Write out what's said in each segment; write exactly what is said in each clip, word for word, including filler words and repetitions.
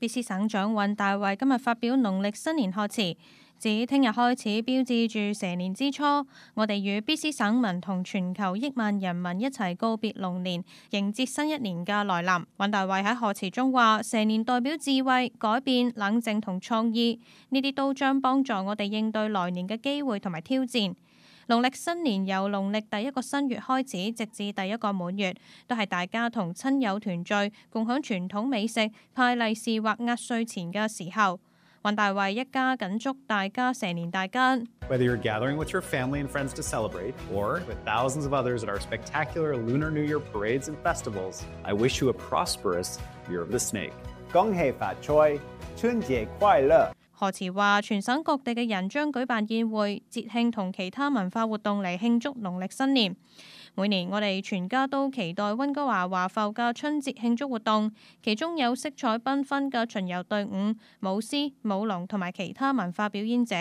B C 省長尹大衛今日發表農曆新年賀詞，指聽日開始標誌住蛇年之初，我哋與 B C 省民同全球億萬人民一齊告別龍年，迎接新一年嘅來臨。尹大衛喺賀詞中話：蛇年代表智慧、改變、冷靜同創意，呢啲都將幫助我哋應對來年嘅機會同埋挑戰。農曆新年由農曆第一個新月開始，直至第一個滿月，都係大家同親友團聚、共享傳統美食、派利是或壓歲錢嘅時候。尹大衛一家緊祝大家蛇年大吉。Whether you're gathering with your family and friends to celebrate, or with thousands of others at our spectacular Lunar New Year parades and festivals, I wish you a prosperous Year of the Snake. 恭喜發財，春節快樂！賀詞話，全省各地嘅人將舉辦宴會、節慶同其他文化活動嚟慶祝農曆新年。每年我哋全家都期待溫哥華華埠嘅春節慶祝活動，其中有色彩繽紛嘅巡遊隊伍、舞獅、舞龍同埋其他文化表演者。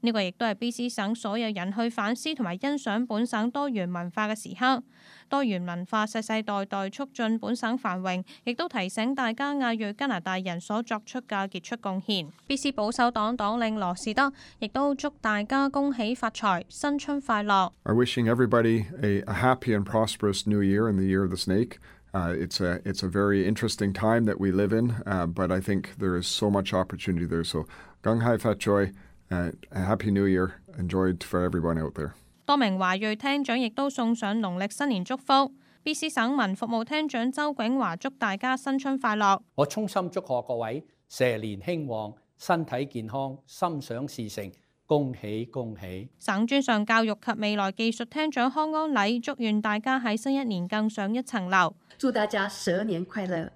呢個亦都係 B C 省所有人去反思同埋欣賞本省多元文化嘅時刻。多元文化世世代代促進本省繁榮，亦都提醒大家亞裔加拿大人所作出嘅傑出貢獻。B C 保守黨黨領羅士德亦都祝大家恭喜發財，新春快樂。I'm wishing everybody a, a happy and prosperous new year in the year of the snake. Uh, it's a it's a very interesting time that we live in, uh, but I think there is so much opportunity there. So, 恭喜發財。Uh, a Happy New Year, enjoyed for everyone out there. 多名華裔廳長亦都送上農曆新年祝福。B C 省民服務廳長周景華祝大家新春快樂。我衷心祝賀各位蛇年興旺，身體健康，心想事成，恭喜恭喜！省專上教育及未來技術廳長康安禮祝願大家喺新一年更上一層樓。祝大家蛇年快樂！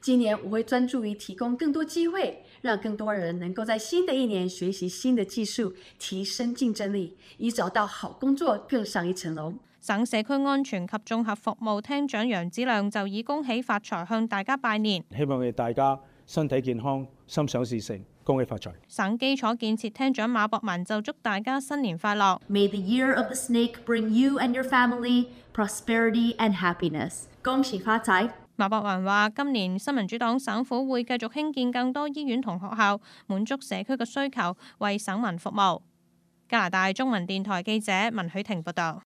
今年我會專注於提供更多機會，讓更多人能夠在新的一年學習新的技術，提升競爭力，以找到好工作更上一層樓。省社區安全及綜合服務廳長楊子亮就以恭喜發財向大家拜年，希望大家身體健康，心想事成，恭喜發財。省基礎建設廳長馬博文就祝大家新年快樂。May the year of the snake bring you and your family prosperity and happiness。恭喜發財！馬博文話：今年新民主黨省府會繼續興建更多醫院同學校，滿足社區嘅需求，為省民服務。加拿大中文電台記者文許婷報道。